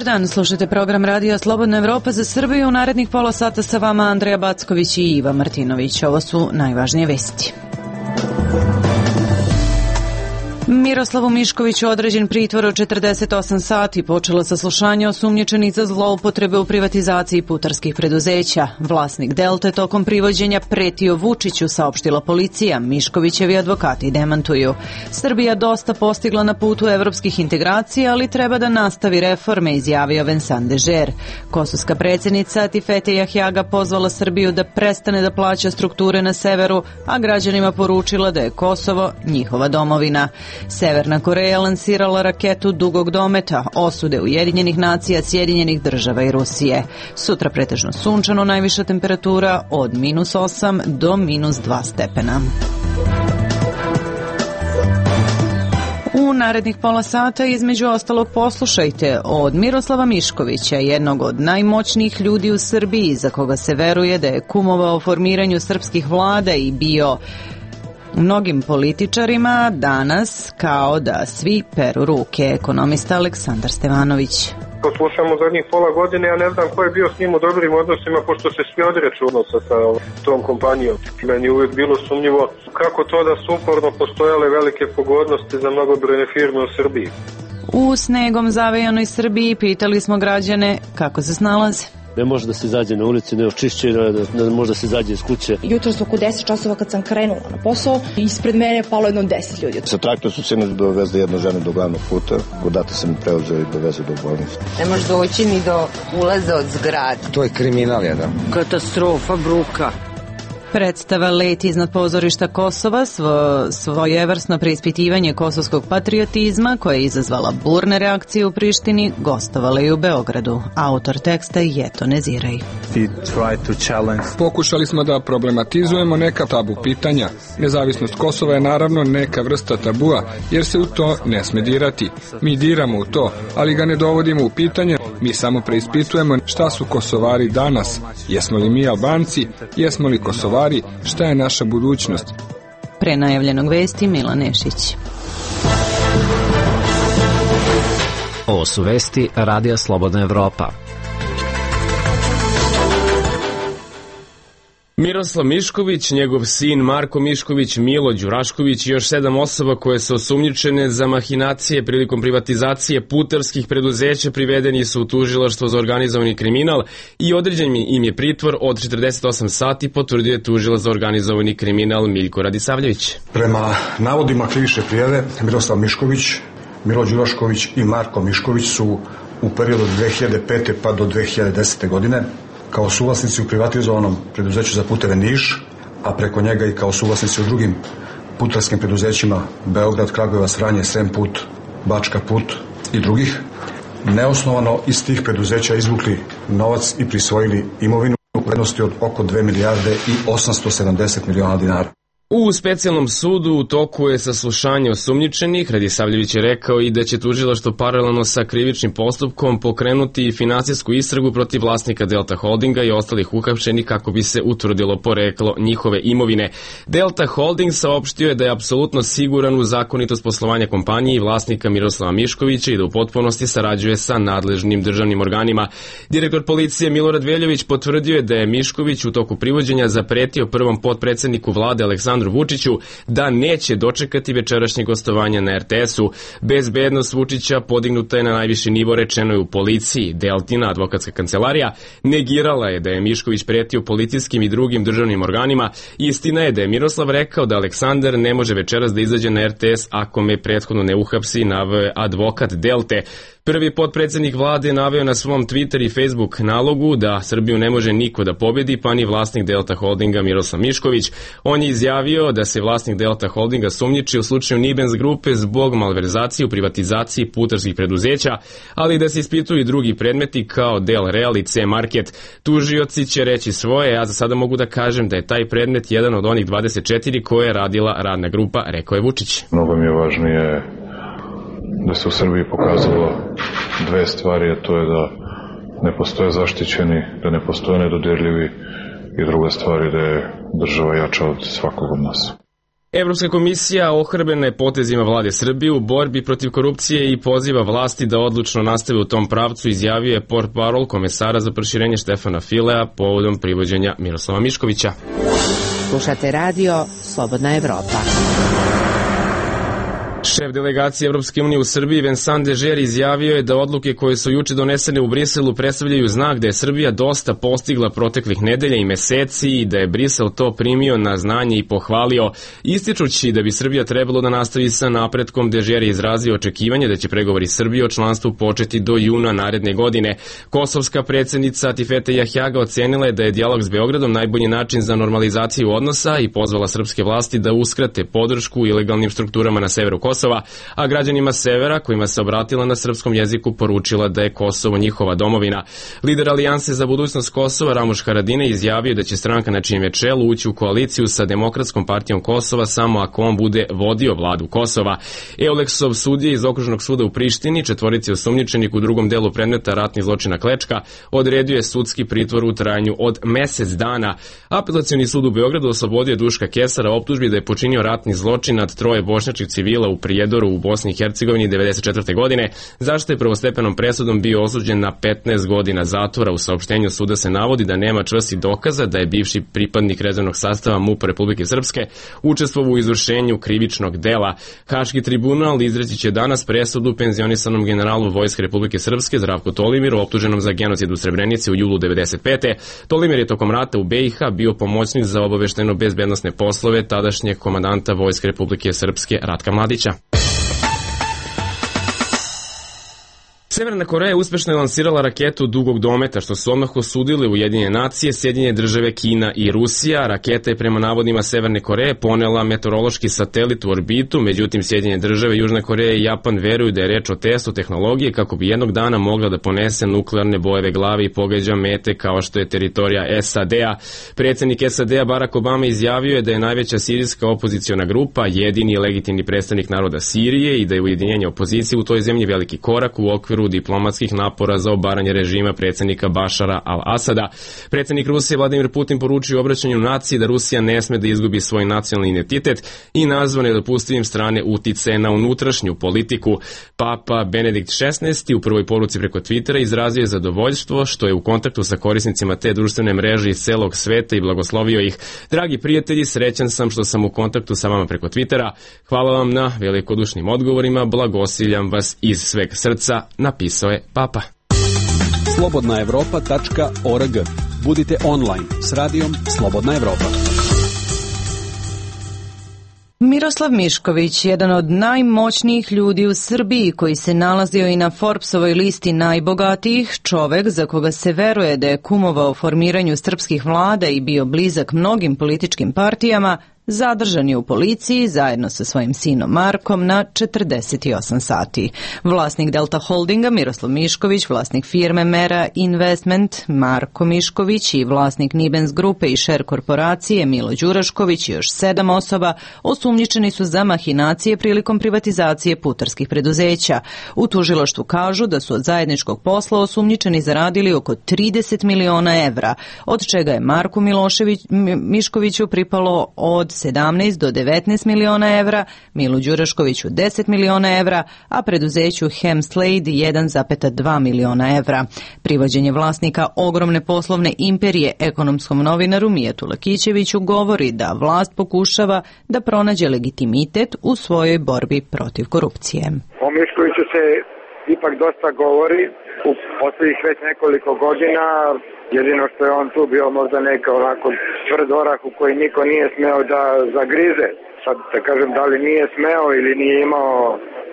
dan, slušajte program Radija Slobodna Evropa za Srbiju. U narednih pola sata sa vama Andreja Backović i Iva Martinović. Ovo su najvažnije vesti. Miroslavu Miškoviću određen pritvor od 48 sati, počelo saslušanje osumnjičenih za zloupotrebe u privatizaciji putarskih preduzeća. Vlasnik Delte tokom privođenja pretio Vučiću, saopštila policija. Miškovićevi advokati demantuju. Srbija dosta postigla na putu evropskih integracija, ali treba da nastavi reforme, izjavio Vincent Dežer. Kosovska predsjednica Tifete Jahjaga pozvala Srbiju da prestane da plaća strukture na severu, a građanima poručila da je Kosovo njihova domovina. Severna Koreja lansirala raketu dugog dometa, osude Ujedinjenih nacija, Sjedinjenih država i Rusije. Sutra pretežno sunčano, najviša temperatura od -8 do -2 stepena. U narednih pola sata između ostalog poslušajte od Miroslava Miškovića, jednog od najmoćnijih ljudi u Srbiji, za koga se veruje da je kumovao formiranju srpskih vlada i bio mnogim političarima, danas kao da svi peru ruke. Ekonomista Aleksandar Stevanović. To slušamo zadnjih pola godine, ja ne znam ko je bio s njim u dobrim odnosima, pošto se svi odreću odnosa sa tom kompanijom. Meni je uvijek bilo sumnjivo kako to da su uporno postojale velike pogodnosti za mnogobrojne firme u Srbiji. U snegom zavejanoj Srbiji pitali smo građane kako se snalaze. Ne može da se izađe na ulici, ne očišćeno, ne može da se izađe iz kuće. Jutros oko 10 časova kad sam krenula na posao, ispred mene je palo jedno 10 ljudi. Sa traktor su sinoć dovezli jednu ženu do glavnog puta, godata sam mi preuzeo i dovezu do bolnice. Ne može doći ni do ulaza od zgrada. To je kriminal jedan. Katastrofa, bruka. Predstava Let iznad pozorišta Kosova, svojevrsno preispitivanje kosovskog patriotizma koja je izazvala burne reakcije u Prištini, gostovala i u Beogradu. Autor teksta je Jeto Neziraj. Pokušali smo da problematizujemo neka tabu pitanja. Nezavisnost Kosova je naravno neka vrsta tabua, jer se u to ne sme dirati. Mi diramo u to, ali ga ne dovodimo u pitanje. Mi samo preispitujemo šta su Kosovari danas. Jesmo li mi Albanci? Jesmo li Kosovari? Šta je naša budućnost? Pre najavljenog vesti Milan Nešić. Ovo su vesti Radija Slobodna Evropa. Miroslav Mišković, njegov sin Marko Mišković, Milo Đurašković i još 7 osoba koje su osumnjičene za mahinacije prilikom privatizacije putarskih preduzeća privedeni su u tužilaštvo za organizovani kriminal i određen im je pritvor od 48 sati, potvrdio je tužilac za organizovani kriminal Miljko Radisavljević. Prema navodima krivične prijave, Miroslav Mišković, Milo Đurašković i Marko Mišković su u periodu od 2005. pa do 2010. godine kao suvlasnici u privatizovanom preduzeću za puteve Niš, a preko njega i kao suvlasnici u drugim putarskim preduzećima Beograd, Kragujevac, Vranje, Srem put, Bačka put i drugih, neosnovano iz tih preduzeća izvukli novac i prisvojili imovinu u vrednosti od oko 2 milijarde i 870 miliona dinara. U specijalnom sudu u toku je saslušanje osumnjičenih. Radisavljević je rekao i da će tužilaštvo paralelno sa krivičnim postupkom pokrenuti finansijsku istragu protiv vlasnika Delta Holdinga i ostalih uhapšenih kako bi se utvrdilo poreklo njihove imovine. Delta Holding saopštio je da je apsolutno siguran u zakonitost poslovanja kompanije i vlasnika Miroslava Miškovića i da u potpunosti sarađuje sa nadležnim državnim organima. Direktor policije Milorad Veljović potvrdio je da je Mišković u toku privođenja zapretio prvom potpredsedniku vlade Aleksandru Vučiću da neće dočekati večerašnje gostovanje na RTS-u. Bezbednost Vučića podignuta je na najviši nivo, rečeno je u policiji. Deltina, advokatska kancelarija, negirala je da je Mišković pretio policijskim i drugim državnim organima. Istina je da je Miroslav rekao da Aleksandar ne može večeras da izađe na RTS ako me prethodno ne uhapsi, naveo je advokat Delte. Prvi potpredsednik vlade naveo na svom Twitter i Facebook nalogu da Srbiju ne može niko da pobedi, pa ni vlasnik Delta Holdinga Miroslav Mišković. On je izjavio da se vlasnik Delta Holdinga sumnjiči u slučaju Nibens grupe zbog malverzacije u privatizaciji putarskih preduzeća, ali da se ispituju i drugi predmeti kao Del Real i C Market. Tužioci će reći svoje, ja za sada mogu da kažem da je taj predmet jedan od onih 24 koje je radila radna grupa, rekao je Vučić. Mnogo mi je važnije da se u Srbiji pokazalo dve stvari, a to je da ne postoje zaštićeni, da ne postoje nedodirljivi i druga stvar je da je država jača od svakog od nas. Evropska komisija ohrabrena je potezima vlade Srbije u borbi protiv korupcije i poziva vlasti da odlučno nastave u tom pravcu, izjavio je portparol komesara za proširenje Štefana Filea povodom privođenja Miroslava Miškovića. Slušate radio Slobodna Evropa. Šef delegacije Evropske unije u Srbiji Vincent Dežer izjavio je da odluke koje su juče donesene u Briselu predstavljaju znak da je Srbija dosta postigla proteklih nedelja i meseci i da je Brisel to primio na znanje i pohvalio. Ističući da bi Srbija trebalo da nastavi sa napretkom, Dežer je izrazio očekivanje da će pregovori Srbije o članstvu početi do juna naredne godine. Kosovska predsjednica Atifete Jahjaga ocenila je da je dijalog s Beogradom najbolji način za normalizaciju odnosa i pozvala srpske vlasti da uskrate podršku ilegalnim strukturama na severu Kosova, a građanima severa, kojima se obratila na srpskom jeziku, poručila da je Kosovo njihova domovina. Lider Alijanse za budućnost Kosova, Ramuš Haradinaj, izjavio da će stranka na čijem je čelu ući u koaliciju sa Demokratskom partijom Kosova samo ako on bude vodio vladu Kosova. Euleksov sudija iz Okružnog suda u Prištini, četvorici osumnjičenik u drugom delu predmeta ratnih zločina Klečka, odredio je sudski pritvor u trajanju od mesec dana. Apelacioni sud u Beogradu oslobodio Duška Kesara optužbi da je počinio ratni zločin nad 3 bošnjačkih civila u Prijedoru u Bosni i Hercegovini 1994. godine, zašto je prvostepenom presudom bio osuđen na 15 godina zatvora. U saopštenju suda se navodi da nema čvrstih dokaza da je bivši pripadnik rezervnog sastava MUP Republike Srpske učestvovao u izvršenju krivičnog dela. Haški tribunal izreći će danas presudu penzionisanom generalu Vojske Republike Srpske Zdravku Tolimiru, optuženom za genocid u Srebrenici u julu 1995. Tolimir je tokom rata u BiH bio pomoćnik za obavešteno-bezbednosne poslove tadašnjeg komandanta Vojske Republike Srpske Ratka Mladića. Severna Koreja uspešno je lansirala raketu dugog dometa, što su odmah osudile Ujedinjene nacije, Sjedinjene države, Kina i Rusija. Raketa je prema navodima Severne Koreje ponela meteorološki satelit u orbitu, međutim Sjedinjene države, Južna Koreja i Japan veruju da je reč o testu tehnologije kako bi jednog dana mogla da ponese nuklearne bojeve glave i pogađa mete kao što je teritorija SAD-a. Predsjednik SAD-a Barack Obama izjavio je da je najveća sirijska opoziciona grupa jedini legitimni predstavnik naroda Sirije i da je ujedinjenje opozicije u toj zemlji veliki korak u okviru diplomatskih napora za obaranje režima predsjednika Bašara al-Asada. Predsjednik Rusije Vladimir Putin poručio u obraćanju naciji da Rusija ne sme da izgubi svoj nacionalni identitet i nazvao nedopustivim strane uticaje na unutrašnju politiku. Papa Benedikt XVI u prvoj poruci preko Twittera izrazio je zadovoljstvo što je u kontaktu sa korisnicima te društvene mreže iz celog sveta i blagoslovio ih. Dragi prijatelji, srećan sam što sam u kontaktu sa vama preko Twittera. Hvala vam na velikodušnim odgovorima, blagosiljam vas iz sveg srca, napisao je Papa. slobodnaevropa.org. Budite online s radijom Slobodna Evropa. Miroslav Mišković, jedan od najmoćnijih ljudi u Srbiji koji se nalazio i na Forbesovoj listi najbogatijih, čovek za koga se veruje da je kumovao formiranju srpskih vlada i bio blizak mnogim političkim partijama, zadržan je u policiji zajedno sa svojim sinom Markom na 48 sati. Vlasnik Delta Holdinga Miroslav Mišković, vlasnik firme Mera Investment Marko Mišković i vlasnik Nibens grupe i Share korporacije Milo Đurašković i još 7 osoba osumnjičeni su za mahinacije prilikom privatizacije putarskih preduzeća. U tužilaštvu kažu da su od zajedničkog posla osumnjičeni zaradili oko 30 miliona evra, od čega je Marku Miškoviću pripalo od 17 do 19 miliona evra, Milu Đuraškoviću 10 miliona evra, a preduzeću Hemslade 1,2 miliona evra. Privođenje vlasnika ogromne poslovne imperije ekonomskom novinaru Mijetu Lakićeviću govori da vlast pokušava da pronađe legitimitet u svojoj borbi protiv korupcije. O Miškoviću se ipak dosta govori u poslednjih već nekoliko godina. Jedino što je on tu bio možda neka onako tvrd orah u koji niko nije smeo da zagrize. Sad da kažem da li nije smeo ili nije imao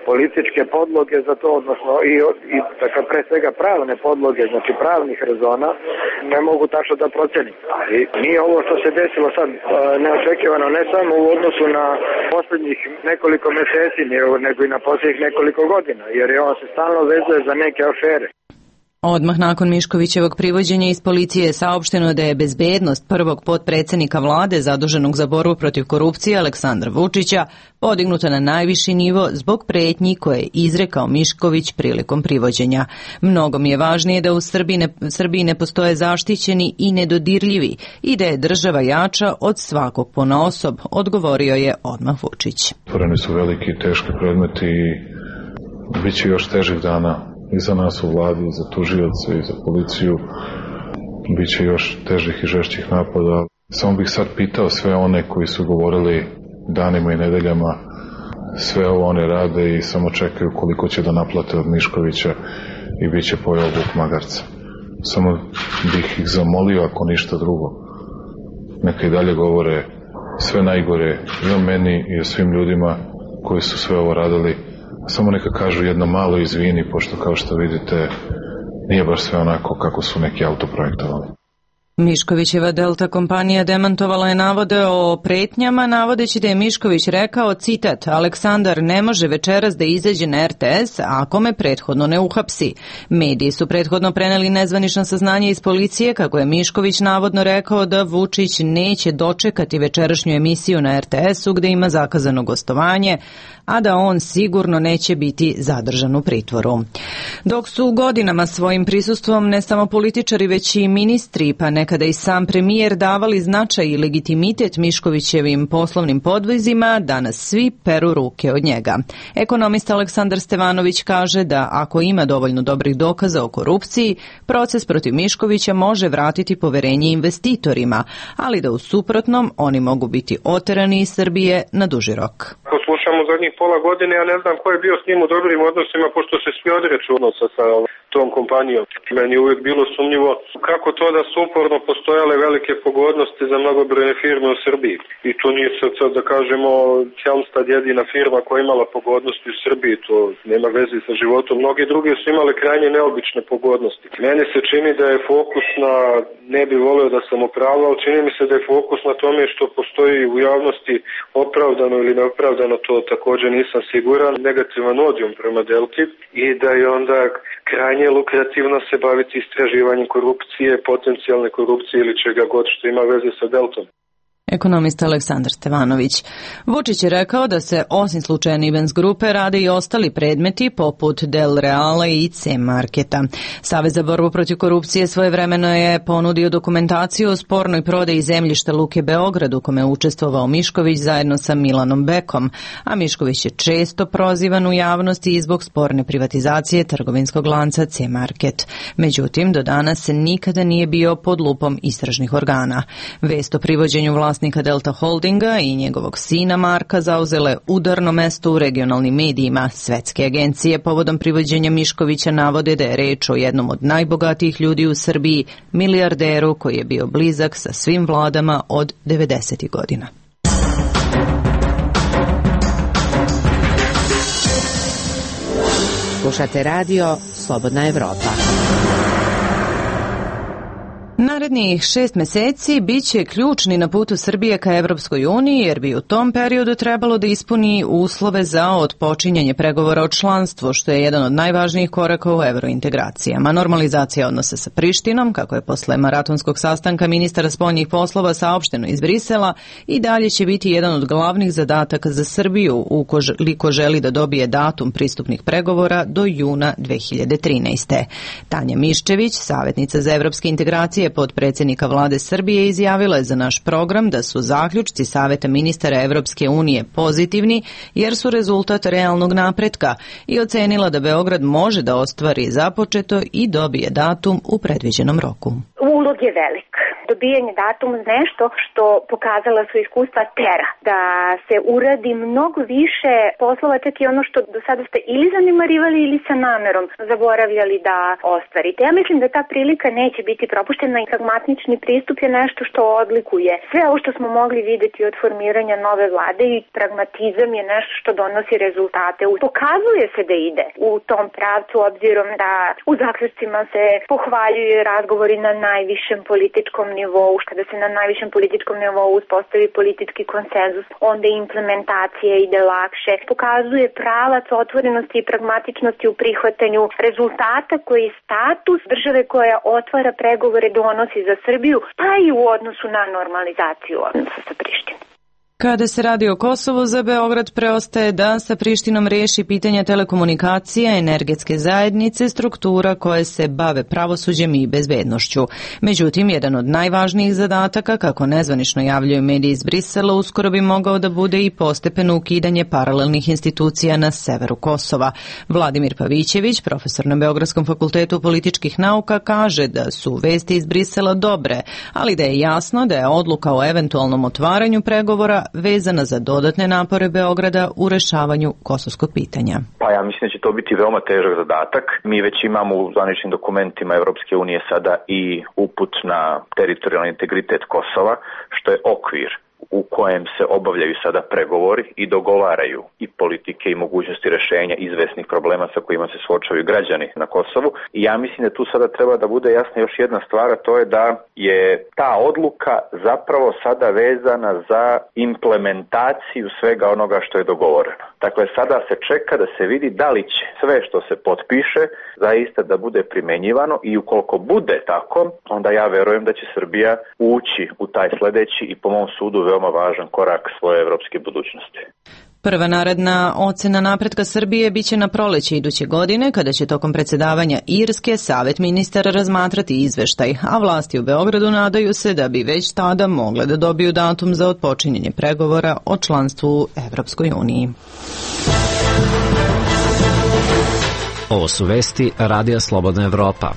političke podloge za to, odnosno i dakle, pre svega pravne podloge, znači pravnih rezona, ne mogu tačno da procenim. Ali nije ovo što se desilo sad neočekivano, ne samo u odnosu na posljednjih nekoliko meseci, nego i na posljednjih nekoliko godina, jer je on se stalno vezuje za neke afere. Odmah nakon Miškovićevog privođenja iz policije je saopšteno da je bezbednost prvog potpredsednika vlade zaduženog za borbu protiv korupcije Aleksandra Vučića podignuta na najviši nivo zbog pretnji koje je izrekao Mišković prilikom privođenja. Mnogo mi je važnije da u Srbiji ne postoje zaštićeni i nedodirljivi i da je država jača od svakog ponaosob, odgovorio je odmah Vučić. Otvoreni su veliki i teški predmeti i bit će još težih dana i za nas u vladi, i za tužioce, i za policiju. Biće još težih i žešćih napada. Samo bih sad pitao sve one koji su govorili danima i nedeljama, sve ovo one rade i samo čekaju koliko će da naplate od Miškovića i bit će pojeo vuk magarca. Samo bih ih zamolio, ako ništa drugo, neka i dalje govore sve najgore i o meni i o svim ljudima koji su sve ovo radili. Samo neka kažu jedno malo izvini, pošto kao što vidite nije baš sve onako kako su neki autoprojektovali. Miškovićeva Delta kompanija demantovala je navode o pretnjama, navodeći da je Mišković rekao, citat, Aleksandar ne može večeras da izađe na RTS ako me prethodno ne uhapsi. Mediji su prethodno preneli nezvanično saznanje iz policije kako je Mišković navodno rekao da Vučić neće dočekati večerašnju emisiju na RTS-u gde ima zakazano gostovanje, a da on sigurno neće biti zadržan u pritvoru. Dok su godinama svojim prisustvom ne samo političari već i ministri, pa nekada i sam premijer davali značaj i legitimitet Miškovićevim poslovnim podvizima, danas svi peru ruke od njega. Ekonomista Aleksandar Stevanović kaže da ako ima dovoljno dobrih dokaza o korupciji, proces protiv Miškovića može vratiti poverenje investitorima, ali da u suprotnom oni mogu biti oterani iz Srbije na duži rok. Slušamo zadnjih pola godine, ja ne znam ko je bio s njim u dobrim odnosima, pošto se svi odreću odnosa sa tom kompanijom. Meni je uvijek bilo sumnjivo kako to da su uporno postojale velike pogodnosti za mnogobrojne firme u Srbiji. I to nije sad da kažemo Helmstad jedina firma koja je imala pogodnosti u Srbiji, to nema veze sa životom. Mnogi drugi su imali krajnje neobične pogodnosti. Meni se čini da je fokus na, ne bi volio da sam upravo, ali čini mi se da je fokus na tome što postoji u javnosti opravdano ili neopravdano, to također nisam siguran, negativan odijum prema Delti i da je onda krajnje lukrativno se baviti istraživanjem korupcije, potencijalne korupcije ili čega god što ima veze sa Deltom. Ekonomista Aleksandar Stevanović. Vučić je rekao da se osim slučaja Nibens grupe rade i ostali predmeti poput Del Reala i C-marketa. Savez za borbu protiv korupcije svojevremeno je ponudio dokumentaciju o spornoj prodaji zemljišta Luke Beograd u kome je učestvovao Mišković zajedno sa Milanom Bekom, a Mišković je često prozivan u javnosti i zbog sporne privatizacije trgovinskog lanca C-market. Međutim, do danas nikada nije bio pod lupom istražnih organa. Vest o privođenju vlasnika Delta Holdinga i njegovog sina Marka zauzele udarno mesto u regionalnim medijima. Svetske agencije povodom privođenja Miškovića navode da je reč o jednom od najbogatijih ljudi u Srbiji, milijarderu koji je bio blizak sa svim vladama od 90. godina. Slušate radio Slobodna Evropa. Narednih 6 meseci biće ključni na putu Srbije ka Evropskoj uniji, jer bi u tom periodu trebalo da ispuni uslove za otpočinjanje pregovora o članstvu, što je jedan od najvažnijih koraka u evrointegracijama. Normalizacija odnosa sa Prištinom, kako je posle maratonskog sastanka ministara spoljnih poslova saopšteno iz Brisela, i dalje će biti jedan od glavnih zadataka za Srbiju, ukoliko želi da dobije datum pristupnih pregovora do juna 2013. Tanja Miščević, savjetnica za evropske integracije potpredsjednika vlade Srbije, izjavila je za naš program da su zaključci Saveta ministara Evropske unije pozitivni jer su rezultat realnog napretka i ocenila da Beograd može da ostvari započeto i dobije datum u predviđenom roku. Ulog je velik. Dobijanje datuma nešto što pokazala su iskustva tera, da se uradi mnogo više poslova, čak i ono što do sada ste ili zanemarivali ili sa namerom zaboravljali da ostvarite. Ja mislim da ta prilika neće biti propuštena i pragmatični pristup je nešto što odlikuje sve ovo što smo mogli videti od formiranja nove vlade i pragmatizam je nešto što donosi rezultate. Pokazuje se da ide u tom pravcu obzirom da u zaključcima se pohvaljuju razgovori na najvišem političkom nivou nivou, kada se na najvišem političkom nivou uspostavi politički konsenzus, onda implementacija ide lakše. Pokazuje pravac otvorenosti i pragmatičnosti u prihvatanju rezultata koji status države koja otvara pregovore donosi za Srbiju, pa i u odnosu na normalizaciju odnosa sa Prištinom. Kada se radi o Kosovu, za Beograd preostaje da sa Prištinom reši pitanja telekomunikacija, energetske zajednice, struktura koje se bave pravosuđem i bezbednošću. Međutim, jedan od najvažnijih zadataka, kako nezvanično javljaju mediji iz Brisela, uskoro bi mogao da bude i postepeno ukidanje paralelnih institucija na severu Kosova. Vladimir Pavićević, profesor na Beogradskom fakultetu političkih nauka, kaže da su vesti iz Brisela dobre, ali da je jasno da je odluka o eventualnom otvaranju pregovora vezana za dodatne napore Beograda u rešavanju kosovskog pitanja. Pa ja mislim da će to biti veoma težak zadatak. Mi već imamo u zvaničnim dokumentima Evropske unije sada i uput na teritorijalni integritet Kosova, što je okvir u kojem se obavljaju sada pregovori i dogovaraju i politike i mogućnosti rešenja izvesnih problema sa kojima se suočavaju građani na Kosovu. I ja mislim da tu sada treba da bude jasna još jedna stvar, a to je da je ta odluka zapravo sada vezana za implementaciju svega onoga što je dogovoreno. Dakle, sada se čeka da se vidi da li će sve što se potpiše zaista da bude primenjivano i ukoliko bude tako, onda ja verujem da će Srbija ući u taj sledeći i po mom sudu veoma važan korak svoje evropske budućnosti. Prva naredna ocena napretka Srbije biće na proleće iduće godine, kada će tokom predsedavanja Irske Savet ministara razmatrati izveštaj, a vlasti u Beogradu nadaju se da bi već tada mogle da dobiju datum za otpočinjanje pregovora o članstvu u Evropskoj uniji. Ovo su vesti Radija Slobodna Evropa.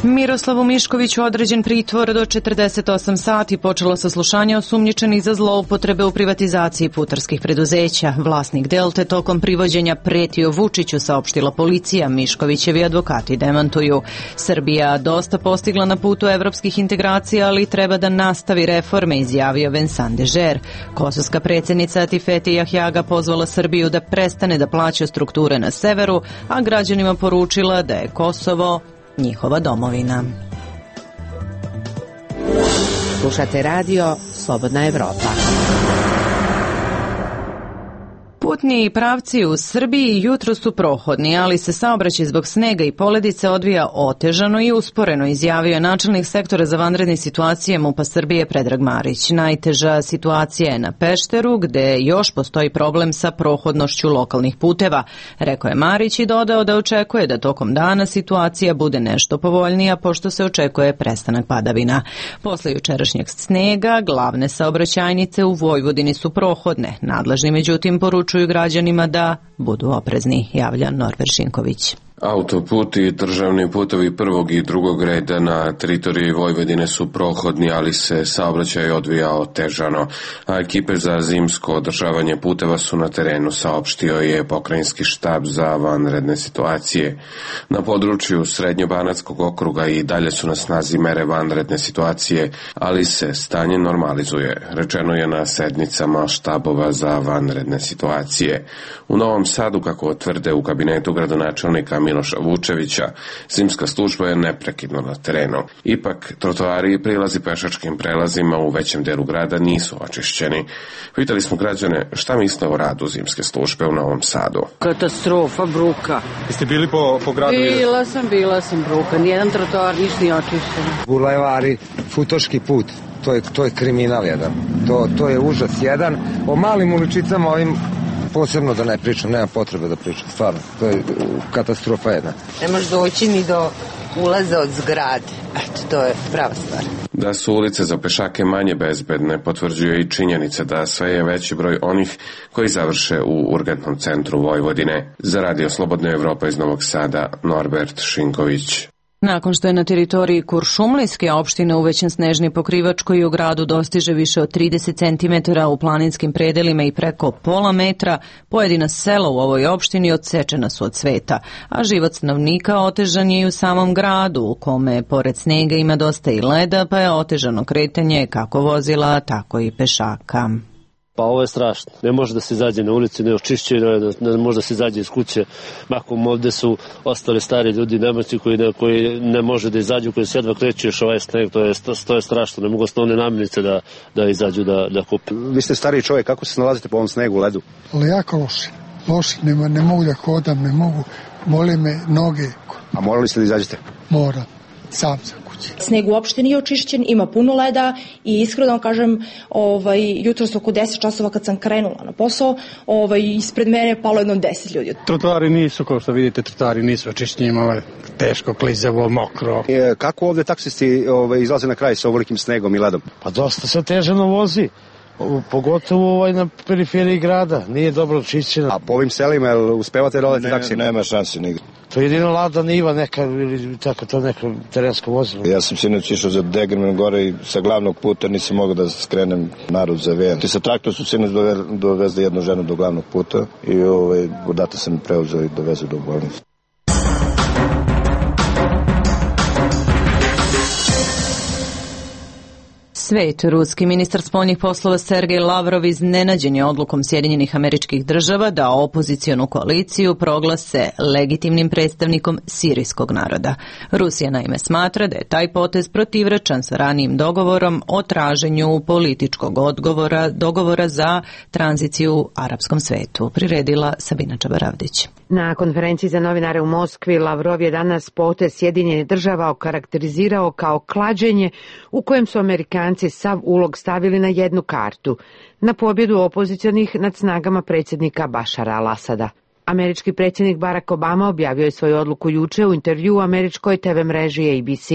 Miroslavu Miškoviću određen pritvor do 48 sati, počelo saslušanje osumnjičenih za zloupotrebe u privatizaciji putarskih preduzeća. Vlasnik Delte tokom privođenja pretio Vučiću, saopštila policija. Miškovićevi advokati demantuju. Srbija dosta postigla na putu evropskih integracija, ali treba da nastavi reforme, izjavio Vincent Dežer. Kosovska predsjednica Atifete Jahjaga pozvala Srbiju da prestane da plaća strukture na severu, a građanima poručila da je Kosovo njihova domovina. Slušate radio Slobodna Evropa. Putni pravci u Srbiji jutro su prohodni, ali se saobraćaj zbog snega i poledice odvija otežano i usporeno, izjavio je načelnik sektora za vanredne situacije MUP-a Srbije Predrag Marić. Najteža situacija je na Pešteru, gde još postoji problem sa prohodnošću lokalnih puteva, rekao je Marić i dodao da očekuje da tokom dana situacija bude nešto povoljnija, pošto se očekuje prestanak padavina. Posle jučerašnjeg snega, glavne saobraćajnice u Vojvodini su prohodne. Nadležni međutim poručuju građanima da budu oprezni, javlja Norbert Šinković. Autoput i državni putovi prvog i drugog reda na teritoriji Vojvodine su prohodni, ali se saobraćaj odvija otežano, a ekipe za zimsko održavanje puteva su na terenu, saopštio je pokrajinski štab za vanredne situacije. Na području Srednjobanatskog okruga i dalje su na snazi mere vanredne situacije, ali se stanje normalizuje, rečeno je na sednicama štabova za vanredne situacije. U Novom Sadu, kako tvrde u kabinetu gradonačelnika Miloša Vučevića, zimska služba je neprekidno na terenu. Ipak, trotoari i prilazi pešačkim prelazima u većem delu grada nisu očišćeni. Pitali smo građane šta misle o radu zimske službe u Novom Sadu. Katastrofa, bruka. Jeste bili po gradu? Bila sam bruka. Nijedan trotoar ništa nije očišćen. Bulevari, futoški put. To je kriminal jedan. To je užas jedan. O malim uličicama ovim posebno da ne pričam, nema potrebe da pričam, stvarno, to je katastrofa jedna. Ne možeš doći ni do ulaza od zgrade, eto, to je prava stvar. Da su ulice za pešake manje bezbedne, potvrđuje i činjenica da sve je veći broj onih koji završe u urgentnom centru Vojvodine. Za Radio Slobodna Evropa iz Novog Sada, Norbert Šinković. Nakon što je na teritoriji Kuršumlijske opštine uvećan snežni pokrivač koji u gradu dostiže više od 30 cm u planinskim predelima i preko pola metra, pojedina sela u ovoj opštini odsečena su od sveta, a život stanovnika otežan je i u samom gradu, u kome pored snega ima dosta i leda, pa je otežano kretanje kako vozila, tako i pešaka. Pa ovo je strašno. Ne može da se izađe na ulici, ne očišćuje, ne može da se izađe iz kuće. Mahom ovde su ostali stari ljudi, nemoćni koji ne može da izađu, koji se jedva kreću još ovaj sneg, to je strašno. Ne mogu osnovne namirnice da izađu da kupe. Vi ste stariji čovjek, kako se nalazite po ovom snegu, ledu? Ali jako loše. Ne mogu da hodam, ne mogu, bole me noge. A morali ste da izađete? Moram, sam za kuće. Sneg uopšte nije očišćen, ima puno leda i iskreno kažem, jutros oko 10 časova kad sam krenula na posao, ispred mene je palo jedno 10 ljudi. Trotoari nisu, kao što vidite, trotoari nisu očišćeni, imalo je teško, klizavo, mokro. Kako ovde taksisti izlaze na kraj sa ovolikim snegom i ledom? Pa dosta se otežano vozi. Pogotovo na periferiji grada, nije dobro očišćeno. A po ovim selima uspevate da odete taksi? Nema šanse nigde. To je jedino lada niva neka ili tako to neko terensko vozilo. Ja sam sinoć išao za Degerman gore i sa glavnog puta nisam mogao da skrenem narod za Vejan. I sa traktor su sinoć dovezli jednu ženu do glavnog puta i odatle sam preuzeo i dovezao do bolnice. Svet. Ruski ministar spoljnih poslova Sergej Lavrov iznenađen je odlukom Sjedinjenih Američkih Država da opozicionu koaliciju proglase legitimnim predstavnikom sirijskog naroda. Rusija naime smatra da je taj potez protivrečan sa ranijim dogovorom o traženju političkog dogovora za tranziciju u arapskom svetu. Priredila Sabina Čabaravdić. Na konferenciji za novinare u Moskvi Lavrov je danas potez Sjedinjenih Država okarakterizirao kao klađenje u kojem su Amerikanci sav ulog stavili na jednu kartu, na pobjedu opozicionih nad snagama predsjednika Bašara al-Asada. Američki predsjednik Barack Obama objavio je svoju odluku juče u intervjuu u američkoj TV mreži ABC.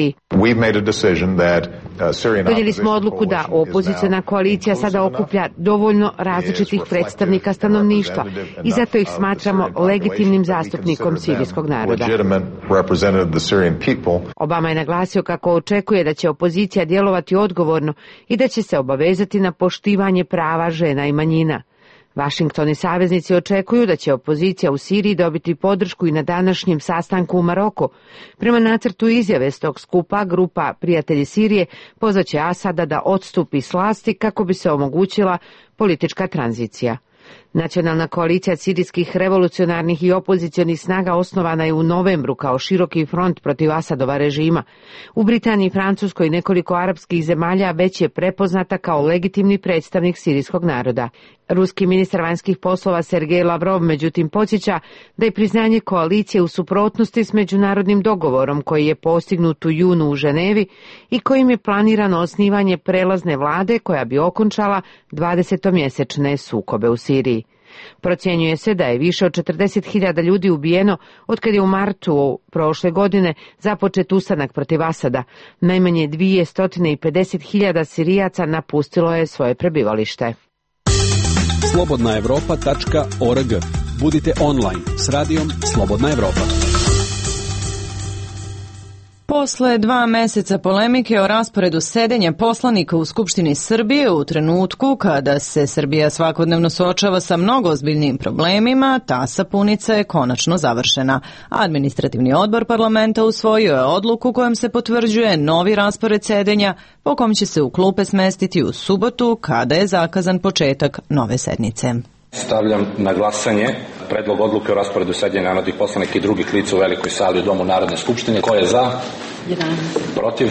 Donijeli smo odluku da opoziciona koalicija sada okuplja dovoljno različitih predstavnika stanovništva i zato ih smatramo legitimnim zastupnikom sirijskog naroda. Obama je naglasio kako očekuje da će opozicija djelovati odgovorno i da će se obavezati na poštivanje prava žena i manjina. Washington i saveznici očekuju da će opozicija u Siriji dobiti podršku i na današnjem sastanku u Maroku. Prema nacrtu izjave s tog skupa, grupa Prijatelji Sirije pozvaće Asada da odstupi s vlasti kako bi se omogućila politička tranzicija. Nacionalna koalicija sirijskih revolucionarnih i opozicionih snaga osnovana je u novembru kao široki front protiv Asadova režima. U Britaniji, Francuskoj i nekoliko arapskih zemalja već je prepoznata kao legitimni predstavnik sirijskog naroda. Ruski ministar vanjskih poslova Sergej Lavrov međutim podsjeća da je priznanje koalicije u suprotnosti s međunarodnim dogovorom koji je postignut u junu u Ženevi i kojim je planirano osnivanje prelazne vlade koja bi okončala 20-mjesečne sukobe u Siriji. Procjenjuje se da je više od 40.000 ljudi ubijeno otkad je u martu prošle godine započet ustanak protiv Asada. Najmanje 250.000 Sirijaca napustilo je svoje prebivalište. slobodnaevropa.org. Budite online s radijom Slobodna Evropa. Posle 2 meseca polemike o rasporedu sedenja poslanika u Skupštini Srbije u trenutku kada se Srbija svakodnevno suočava sa mnogo ozbiljnijim problemima, ta sapunica je konačno završena. Administrativni odbor parlamenta usvojio je odluku kojom se potvrđuje novi raspored sedenja po kom će se u klupe smestiti u subotu kada je zakazan početak nove sednice. Stavljam na glasanje predlog odluke o rasporedu sedenja narodnih poslanika i drugih lica u velikoj sali u Domu Narodne skupštine. Ko je za? 11. Protiv?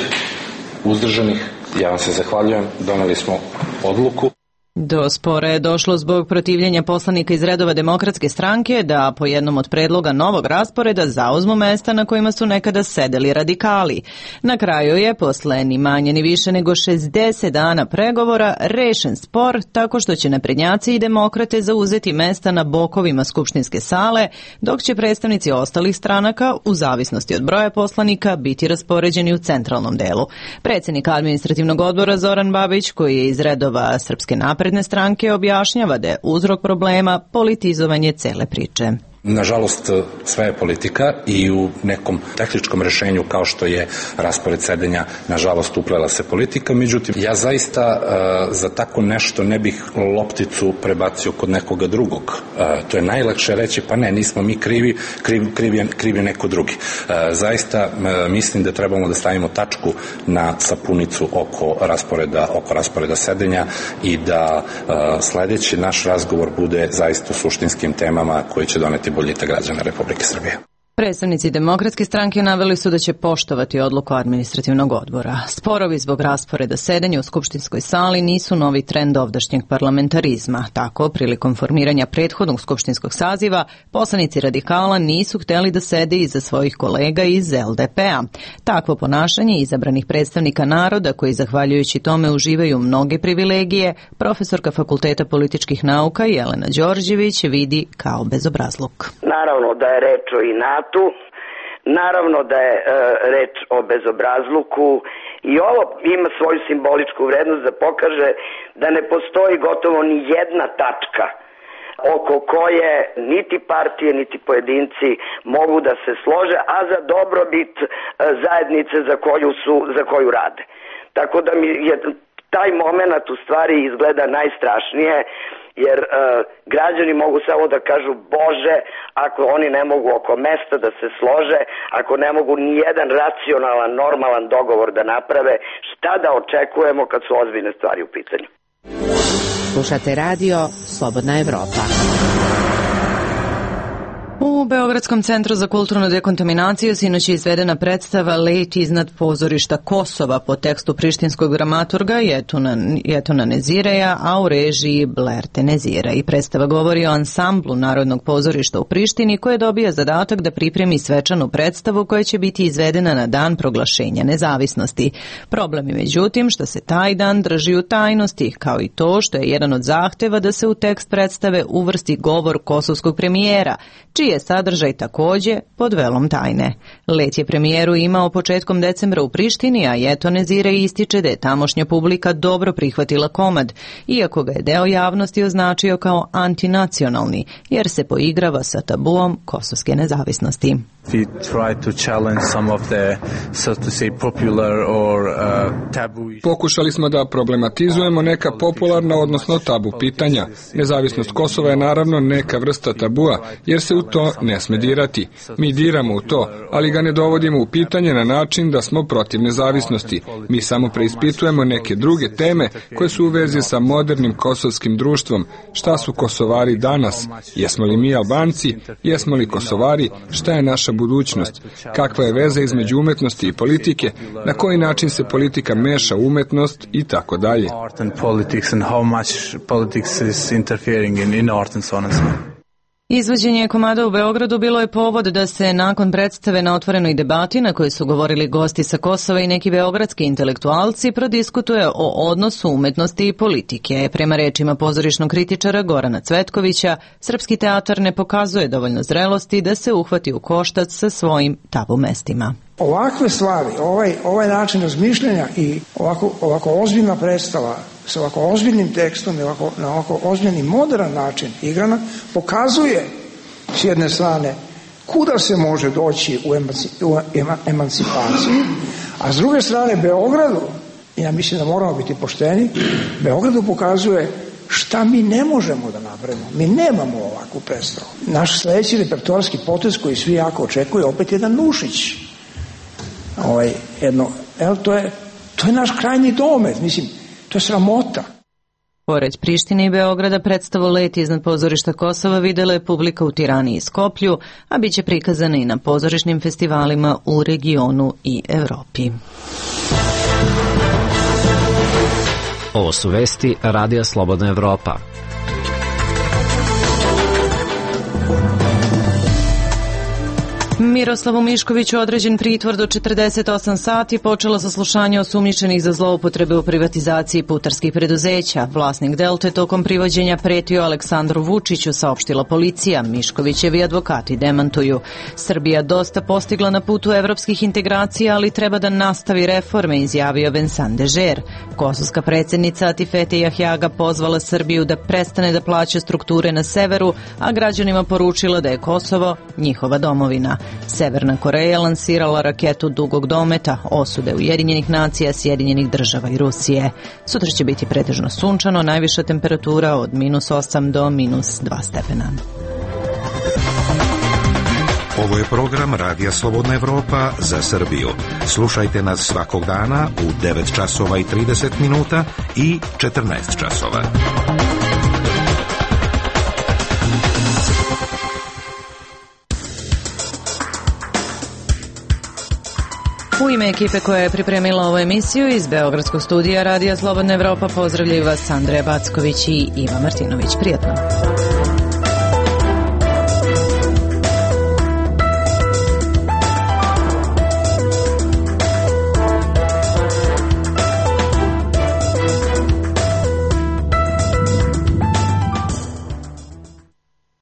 Uzdržanih? Ja vam se zahvaljujem. Doneli smo odluku. Do spora je došlo zbog protivljenja poslanika iz redova Demokratske stranke da po jednom od predloga novog rasporeda zauzmu mesta na kojima su nekada sedeli radikali. Na kraju je, posle ni manje ni više nego 60 dana pregovora, rešen spor tako što će naprednjaci i demokrate zauzeti mesta na bokovima skupštinske sale, dok će predstavnici ostalih stranaka, u zavisnosti od broja poslanika, biti raspoređeni u centralnom delu. Predsjednik administrativnog odbora Zoran Babić, koji je iz redova Srpske napredne stranke, objašnjava da je uzrok problema politizovanje cele priče. Nažalost, sve je politika i u nekom tehničkom rešenju kao što je raspored sedenja, nažalost, uplela se politika. Međutim, ja zaista za tako nešto ne bih lopticu prebacio kod nekoga drugog. To je najlakše reći, pa ne, nismo mi krivi, kriv je neko drugi. Zaista mislim da trebamo da stavimo tačku na sapunicu oko rasporeda sedenja i da sledeći naš razgovor bude zaista o suštinskim temama koji će doneti boljitak građana Republike Srbije. Predstavnici Demokratske stranke naveli su da će poštovati odluku administrativnog odbora. Sporovi zbog rasporeda sedenja u skupštinskoj sali nisu novi trend ovdašnjeg parlamentarizma. Tako, prilikom formiranja prethodnog skupštinskog saziva, poslanici radikala nisu hteli da sede iza svojih kolega iz LDP-a. Takvo ponašanje izabranih predstavnika naroda, koji zahvaljujući tome uživaju mnoge privilegije, profesorka Fakulteta političkih nauka Jelena Đorđević vidi kao bezobrazluk. Naravno da je reč o inatu, naravno da je reč o bezobrazluku i ovo ima svoju simboličku vrednost da pokaže da ne postoji gotovo ni jedna tačka oko koje niti partije niti pojedinci mogu da se slože, a za dobrobit zajednice za koju rade. Tako da mi je taj moment u stvari izgleda najstrašnije, jer građani mogu samo da kažu Bože, ako oni ne mogu oko mesta da se slože, ako ne mogu ni jedan racionalan, normalan dogovor da naprave, šta da očekujemo kad su ozbiljne stvari u pitanju. Slušate radio Slobodna Evropa. U Beogradskom centru za kulturnu dekontaminaciju sinoć je izvedena predstava Let iznad pozorišta Kosova po tekstu prištinskog dramaturga Jetuna Nezireja, a u režiji Blerte Nezira. I predstava govori o ansamblu Narodnog pozorišta u Prištini, koje dobija zadatak da pripremi svečanu predstavu koja će biti izvedena na dan proglašenja nezavisnosti. Problem je međutim što se taj dan drži u tajnosti, kao i to što je jedan od zahteva da se u tekst predstave uvrsti govor kosovskog premijera, čiji je sadržaj takođe pod velom tajne. Let je premijeru imao početkom decembra u Prištini, a Jeton Nezire ističe da je tamošnja publika dobro prihvatila komad, iako ga je deo javnosti označio kao antinacionalni, jer se poigrava sa tabuom kosovske nezavisnosti. We try to challenge some of the, so to say, popular or tabu. Pokušali smo da problematizujemo neka popularna, odnosno tabu pitanja. Nezavisnost Kosova je naravno neka vrsta tabua, jer se u to ne sme dirati. Mi diramo u to, ali ga ne dovodimo u pitanje na način da smo protiv nezavisnosti. Mi samo preispitujemo neke druge teme koje su u vezi sa modernim kosovskim društvom. Šta su Kosovari danas? Jesmo li mi Albanci? Jesmo li Kosovari? Šta je naša budućnost? Kakva je veza između umetnosti i politike? Na koji način se politika meša u umetnost i tako dalje? Izvođenje komada u Beogradu bilo je povod da se nakon predstave na otvorenoj debati na kojoj su govorili gosti sa Kosova i neki beogradski intelektualci prodiskutuje o odnosu umetnosti i politike. Prema rečima pozorišnog kritičara Gorana Cvetkovića, srpski teatar ne pokazuje dovoljno zrelosti da se uhvati u koštac sa svojim tabu mestima. Ovakve stvari, ovaj način razmišljanja i ovako ozbiljna predstava sa ovako ozbiljnim tekstom i na ovako ozbiljni modern način igrana pokazuje s jedne strane kuda se može doći u emancipaciji, a s druge strane Beogradu, ja mislim da moramo biti pošteni, Beogradu pokazuje šta mi ne možemo da napravimo. Mi nemamo ovakvu predstavu. Naš sledeći repertoarski potez koji svi jako očekuju opet jedan Nušić. To je naš krajnji domet, mislim, to je sramota. Pored Prištine i Beograda predstavu Let iznad pozorišta Kosova videla je publika u Tirani i Skoplju, a bit će prikazana i na pozorišnim festivalima u regionu i Evropi. Ovo su vesti Radija Slobodna Evropa. Miroslavu Miškoviću određen pritvor do 48 sati, počelo saslušanje osumnjičenih za zloupotrebe u privatizaciji putarskih preduzeća. Vlasnik Delte tokom privođenja pretio Aleksandru Vučiću, saopštila policija. Miškovićevi advokati demantuju. Srbija dosta postigla na putu evropskih integracija, ali treba da nastavi reforme, izjavio Vincent Dežer. Kosovska predsjednica Atifete Jahjaga pozvala Srbiju da prestane da plaća strukture na severu, a građanima poručila da je Kosovo njihova domovina. Severna Koreja lansirala raketu dugog dometa, osude Ujedinjenih nacija, Sjedinjenih država i Rusije. Sutra će biti pretežno sunčano, najviša temperatura od -8 do -2 stepena. Ovo je program Radija Slobodna Evropa za Srbiju. Slušajte nas svakog dana u 9 časova i 30 minuta i 14 časova. U ime ekipe koja je pripremila ovu emisiju iz Beogradskog studija Radija Slobodna Evropa pozdravljaju vas Andreja Backović i Iva Martinović. Prijatno.